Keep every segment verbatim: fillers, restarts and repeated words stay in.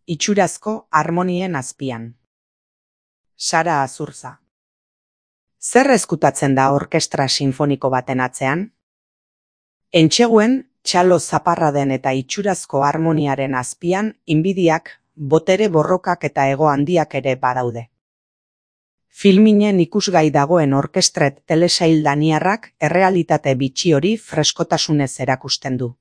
itxurazko harmonien azpian. Sara Azurza. Zer ezkutatzen da orkestra sinfoniko baten atzean? Entseguen, txalo zaparraden eta itxurazko harmoniaren azpian inbidiak, botere borrokak eta ego handiak ere badaude. Filminen ikusgai dagoen orkestret telesail daniarrak errealitate bitxi hori freskotasunez erakusten du.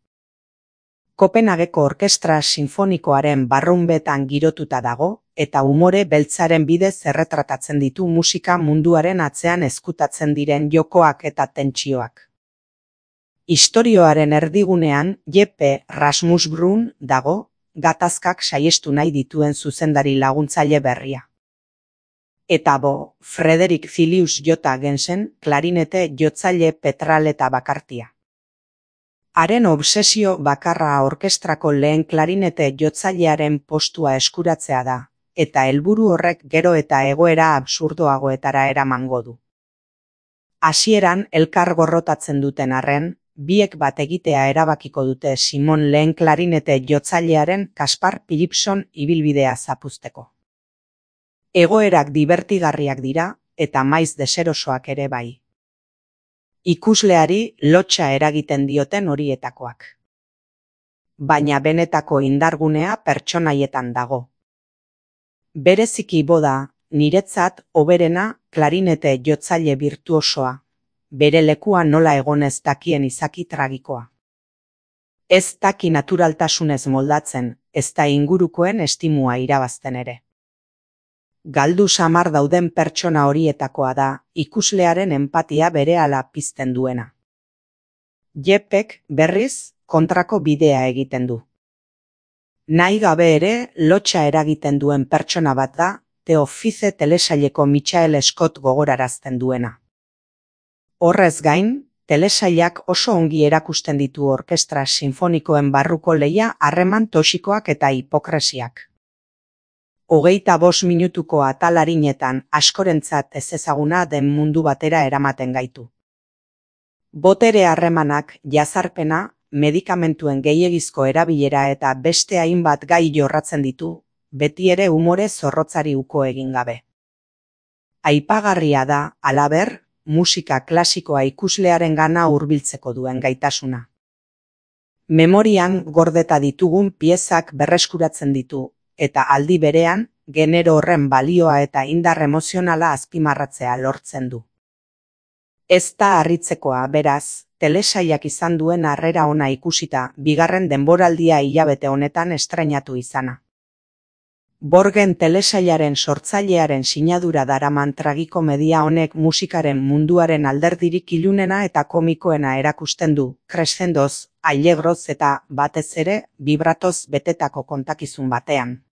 Kopenhageko orkestra sinfonikoaren barrunbetan girotuta dago eta umore beltzaren bidez erretratatzen ditu musika munduaren atzean ezkutatzen diren jokoak eta tentsioak. Istorioaren erdigunean Jeppe Rasmusbrun dago, gatazkak saiestu nahi dituen zuzendari laguntzaile berria. Eta bo, Frederik Filius Jota Gensen, klarinete jotzaile petraleta bakartia. Haren obsesio bakarra orkestrako lehen klarinete jotzailearen postua eskuratzea da, eta helburu horrek gero eta egoera absurdoagoetara eramango du. Hasieran elkar gorrotatzen duten arren, biek bat egitea erabakiko dute Simon lehen klarinete jotzailearen Kaspar Philipson ibilbidea zapuzteko. Egoerak dibertigarriak dira eta maiz deserosoak ere bai. Ikusleari lotsa eragiten dioten horietakoak. Baina benetako indargunea pertsonaietan dago. Bereziki boda, niretzat hoberena klarinete jotzaile virtuosoa, bere lekua nola egonez dakien izaki tragikoa. Ez daki naturaltasunez moldatzen, ez da ingurukoen estimua irabazten ere. Galdu samar dauden pertsona horietakoa da, ikuslearen enpatia berehala pizten duena. Jeppek, berriz, kontrako bidea egiten du. Nahi gabe ere, lotsa eragiten duen pertsona bat da, The Office telesaileko Michael Scott gogorarazten duena. Horrez gain, telesailak oso ongi erakusten ditu orkestra sinfonikoen barruko lehia harreman toxikoak eta hipokresiak. Hogeita bost minutuko atalarinetan askorentzat ezezaguna den mundu batera eramaten gaitu. Botere harremanak, jazarpena, medikamentuen gehiegizko erabilera eta beste hainbat gai jorratzen ditu, beti ere umore zorrotzari uko egin gabe. Aipagarria da, halaber, musika klasikoa ikuslearen gana hurbiltzeko duen gaitasuna. Memorian gordeta ditugun piezak berreskuratzen ditu, eta aldi berean, genero horren balioa eta indar emozionala azpimarratzea lortzen du. Ez da harritzekoa, beraz, telesailak izan duen harrera ona ikusita, bigarren denboraldia hilabete honetan estreinatu izana. Borgen telesailaren sortzailearen sinadura daraman tragikomedia honek musikaren munduaren alderdirik ilunena eta komikoena erakusten du, crescendoz, allegroz eta, batez ere, vibratoz betetako kontakizun batean.